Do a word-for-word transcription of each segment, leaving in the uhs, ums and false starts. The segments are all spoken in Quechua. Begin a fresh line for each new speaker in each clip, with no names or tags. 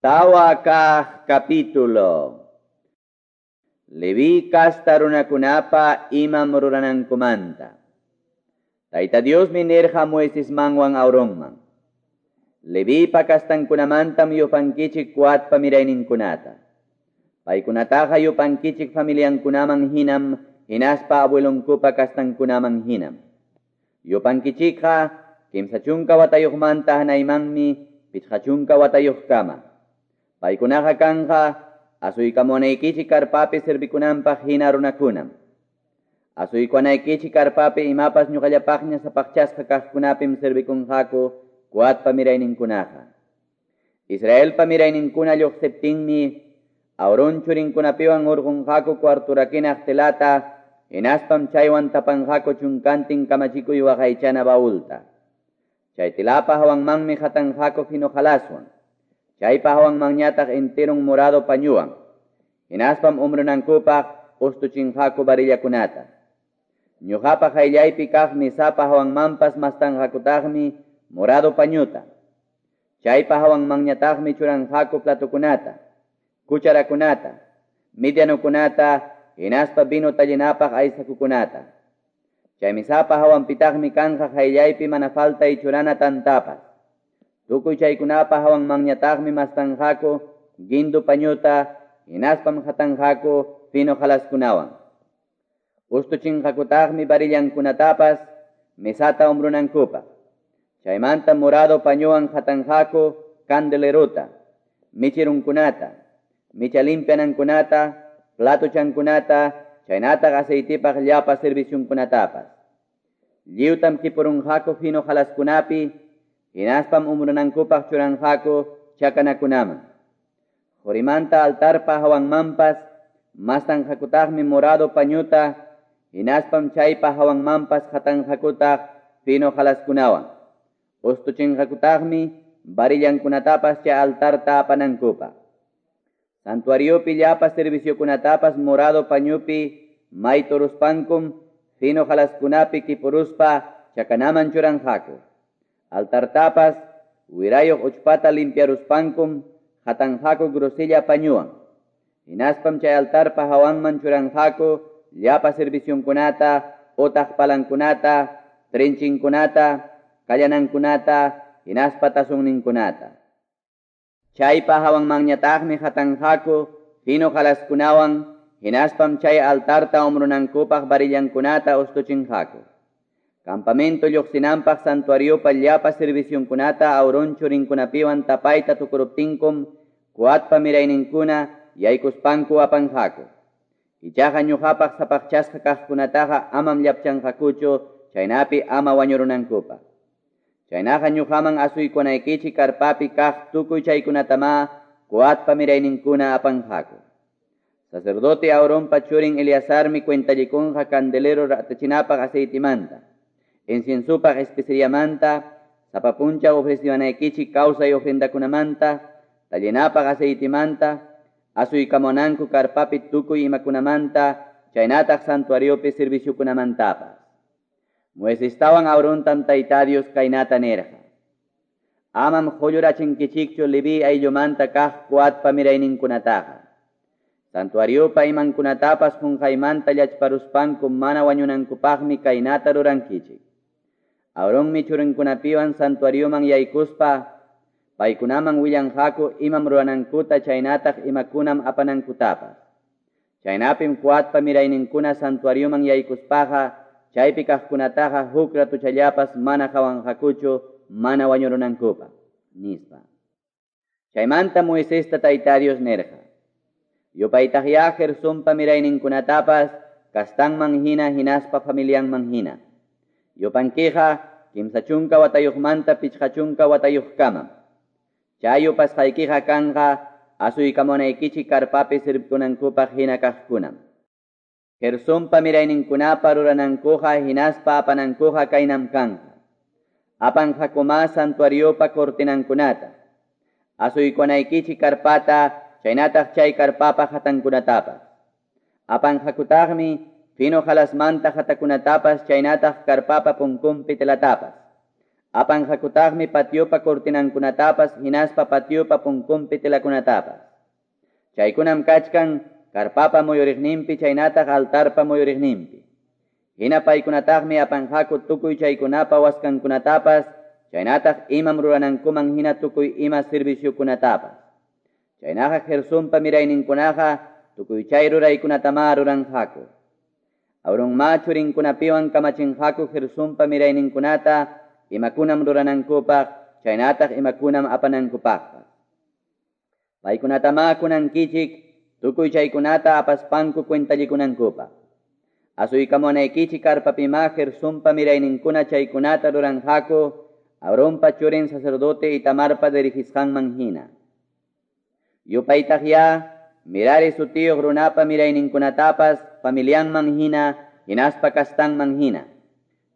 Tawa kaq capítulo. Leví kasta runakunapa imam ruranankumanta. Tayta Diosmi nirqa Moisesmanwan Aaronman. Levipa kastankunamantam yupankichik Coatpa mirayninkunata. Paykunataqa yupankichik familiankunaman hinam, hinaspa abuelonkupa kastankunaman hinam. Yupankichikqa kimsa chunka watayuqmanta hanaymanmi pichqa chunka watayuqkama. Paykunaqa kanqa asuykamunaykichik karpapi servikunanpaq hina runakunam. Asuykuanaykichik karpapi imapas ñuqallapaqña sapaqchasqa kaqkunapim servikunqaku Coatpa mirayninkunaqa. Israelpa mirayninkuna lluqsiptinmi Aarón churinkunapiwan hurqunqaku cuarturakinaq telata, hinaspam chaywan tapanqaku chunkantin kamachikuy waqaychana baulta. Chay telapa hawanmanmi hatanqaku fino halaswan. Chaypa hawanmanñataq enterun morado pañuwan. Hinaspam umrunankupaq ustuchinqaku varillakunata. Ñuqapa qayllaypi kaq mesapa hawanmanpas mastanqakutaqmi morado pañuta. Chaypa hawanmanñataqmi churanqaku platokunata, cucharakunata, medianokunata, hinaspa vino tallinapaq aysakukunata. Chay mesapa hawanpitaqmi kanqa qayllaypi mana faltay churana tantapas. Tukuy chaykunapa hawanmanñataqmi mastanqaku guindu pañuta, hinaspam hatanqaku fino halaskunawan. Ustuchinqakutaqmi varillankunatapas mesata umbrunankupaq. Chaymanta morado pañuwan hatanqaku candeleruta, michirunkunata, micha limpianankunata, platochankunata, chaynataq aceitipaq llapa servisyunkunatapas. Lliwtam kipurunqaku fino halaskunapi, hinaspam umrunankupaq churanqaku chakanakunaman. Qorimanta altarpa hawanmanpas mastanqakutaqmi morado pañuta, hinaspam chaypa hawanmanpas hatanqakutaq fino halaskunawan. Ustuchinqakutaqmi varillankunatapas chay altarta apanankupaq. Santuariopi llapa serviciokunatapas morado pañupi mayturuspankum fino halaskunapi kipuruspa chakanaman churanqaku. Altartapas wirayuq uchpata limpiaruspankum hatanqaku grosella pañuwan. Hinaspam chay altarpa hawanman churanqaku llapa servicionkunata, otaq palankunata, trinchinkunata, kallanankunata, hinaspa tasunninkunata. Chaypa hawanmanñataqmi hatanqaku fino halaskunawan, hinaspam chay altarta umrunankupaq varillankunata ustuchinqaku. Campamento lluqsinanpaq santuariopa llapa servicionkunata Aarón churinkunapiwan tapayta tukuruptinkum Coatpa mirayninkuna yaykuspanku apanqaku. Ichaqa ñuqapaq sapaqchasqa kaqkunataqa amam llapchanqakuchu, chaynapi ama wañurunankupaq. Chaynaqa ñuqaman asuykunaykichik karpapi kaq tukuy chaykunatama Coatpa mirayninkuna apanqaku. Sacerdote Aaronpa churin Eleazarmi cuentallikunqa candelero ratachinapaq aceitimanta, inciensupaq especiamanta, sapa puncha ofreciwanaykichik kawsay ofrendakunamanta, tallinapaq aceitimanta, asuykamunanku karpapi tukuy imakunamanta, chaynataq santuariopi serviciokunamantapas. Moisestawan Aarontam Tayta Dios kaynata nirqa: Amam qullurachinkichikchu Leví ayllumanta kaq Coatpa mirayninkunataqa. Santuariopa imankunatapas qunqaymanta llachparuspanku mana wañunankupaqmi kaynata rurankichik. Aaronmi churinkunapiwan santuarioman yaykuspa paykunaman willanqaku imam ruranankuta chaynataq imakunam apanankutapas. Chaynapim Coatpa mirayninkuna santuarioman yaykuspaqa chaypi kaqkunataqa huk ratuchallapas mana qawanqakuchu mana wañurunankupaq, nispa. Chaymanta Moisesta Tayta Dios nirqa: Yupaytaqya Gersonpa mirayninkunatapas kastanman hina hinaspa familianman hina. Yupankiqa kimsa chunka watayuqmanta pichqa chunka watayuqkamam. Chay yupasqaykiqa kanqa asuykamunaykichik karpapi servikunankupaq hina kaqkunam. Gersonpa mirayninkunapa ruranankuqa hinaspa apanankuqa kaynam kanqa. Apanqakuma santuariopa cortinankunata, asuykunaykichik karpata, chaynataq chay karpapa hatankunatapas. Apanqakutaqmi fino halasmanta hatakunatapas chaynataq karpapa punkunpi telatapas. Apanqakutaqmi patiopa cortinankunatapas hinaspa patiopa punkunpi telakunatapas. Chaykunam kachkan karpapa muyuriqninpi chaynataq altarpa muyuriqninpi. Hina paykunataqmi apanqaku tukuy chaykunapa waskankunatapas chaynataq imam ruranankuman hina tukuy ima serviciokunatapas. Chaynaqa Gersonpa mirayninkunaqa tukuy chay ruraykunatama ruranqaku. Aaronma churinkunapiwan kamachinqaku Gersonpa mirayninkunata imakunam ruranankupaq chaynataq imakunam apanankupaqpas. Paykunatama kunankichik tukuy chaykunata apaspanku cuentallikunankupaq. Asuykamunaykichik karpapima Gersonpa mirayninkuna chaykunata ruranqaku Aaronpa churin sacerdote Itamarpa dirigisqanman hina. Yupaytaqya Mirari sutiyuq runapa mirayninkunatapas familianman hina hinaspa kastanman hina.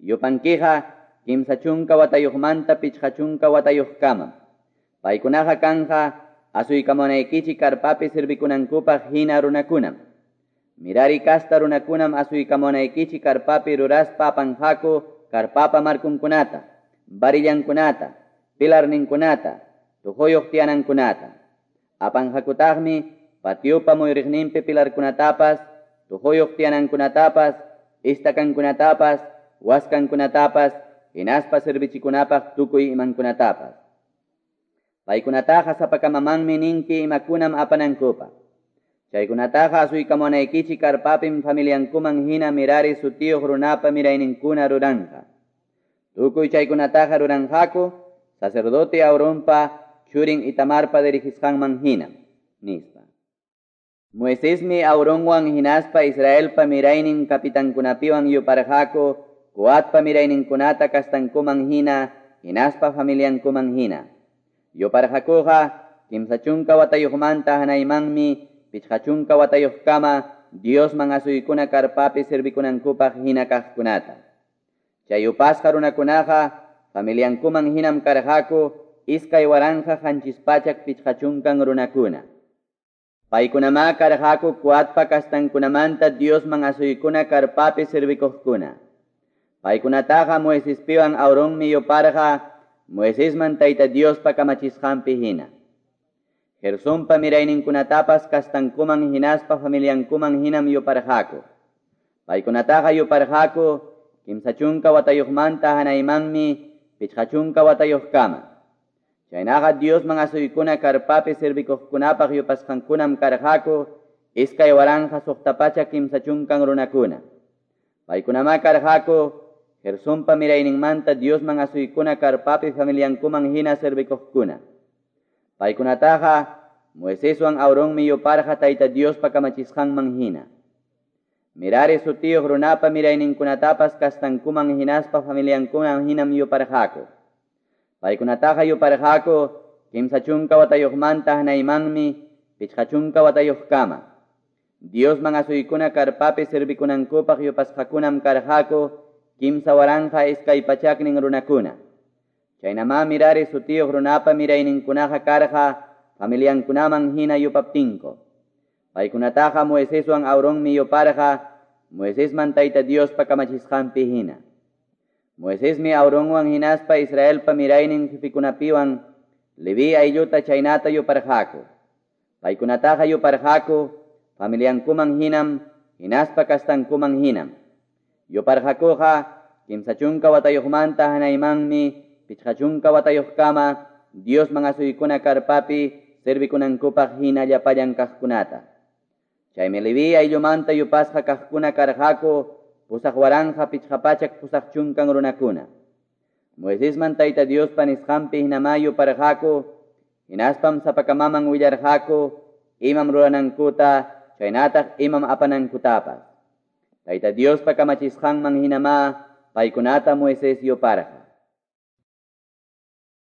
Yupankiqa kimsa chunka watayuqmanta pichqa chunka watayuqkamam. Paykunaqa kanja asuykamunaykichik karpapi servikunankupaq hina runakunam. Mirari kasta runakunam asuykamunaykichik karpapi ruraspa apanqaku karpapa markunkunata, varillankunata, pilarninkunata, tuquyuq tiyanankunata. Apanqakutaqmi patiopa muyuriqninpi pilarkunatapas, tuquyuq tiyanankunatapas, istakankunatapas, waskankunatapas, hinaspa servichikunapaq tukuy imankunatapas. Paykunataqa sapakamamanmi ninki imakunam apanankupaq. Chaykunataqa asuykamunaykichik karpapim familiankuman hina Mirari sutiyuq runapa mirayninkuna ruranqa. Tukuy chaykunataqa ruranqaku sacerdote Aaronpa churin Itamarpa dirigisqanman hina, nispa. Moisesmi Aaronwan hinaspa Israelpa miraynin kapitankunapiwan yuparqaku Coatpa mirayninkunata kastankuman hina hinaspa familiankuman hina. Yuparqakuqa kimsa chunka watayuqmanta hanaymanmi pichqa chunka watayuqkama Diosman asuykuna karpapi servikunankupaq hina kaqkunata. Chay yupasqa runakunaqa familiankuman hinam karqaku iskay waranqa qanchis pachak pichqa chunkan runakuna. Paykunama karqaku Coatpa kastankunamanta Diosman asuykuna karpapi servikuqkuna. Paykunataqa Moisespiwan Aaronmi yuparqa Moisesman Tayta Diospa kamachisqanpi hina. Gersonpa mirayninkunatapas kastankuman hinaspa familiankuman hinam yuparqaku. Paykunataqa yuparqaku kimsa chunka watayuqmanta hanaymanmi pichqa chunka watayuqkama. Chaynaqa Diosman asuykuna karpapi servikuqkunapaq yupasqankunam karqaku iskay waranqa suqta pachak kimsa chunkan runakuna. Paykunama karqaku Gersonpa mirayninmanta Diosman asuykuna karpapi familiankuman hina servikuqkuna. Paykunataqa Moiseswan Aaronmi yuparqa Tayta Diospa kamachisqanman hina. Mirari sutiyuq runapa mirayninkunatapas kastankuman hinaspa familiankuman hinam yuparqaku. Paykunataqa yuparqaku kimsa chunka watayuqmanta hanaymanmi pichqa chunka watayuqkama. Diosman asuykuna karpapi servikunankupaq yupasqakunam karqaku kimsa waranqa iskay pachaknin runakuna. Chaynama Mirari sutiyuq runapa mirayninkunaqa karqa familiankunaman hina yupaptinku. Paykunataqa Moiseswan Aaronmi yuparqa Moisesman Tayta Diospa kamachisqanpi hina. Moisesmi Aaronwan hinaspa Israelpa miraynin jefikunapiwan Leví aylluta chaynata yuparqaku. Paykunataqa yuparqaku familiankuman hinam hinaspa kastankuman hinam. Yuparqakuqa kimsa chunka watayuqmanta hanaymanmi pichqa chunka watayuqkama Diosman asuykuna karpapi servikunankupaq hina llapallan kaqkunata. Chaymi Leví ayllumanta yupasqa kaqkuna karqaku pusaq waranqa pichqa pachak pusaq chunkan runakuna. Moisesman Tayta Diospa nisqanpi hinama yuparqaku hinaspam sapakamaman willarqaku imam ruranankuta chaynataq imam apanankutapas. Tayta Diospa kamachisqanman hinama paykunata Moisés yuparqa.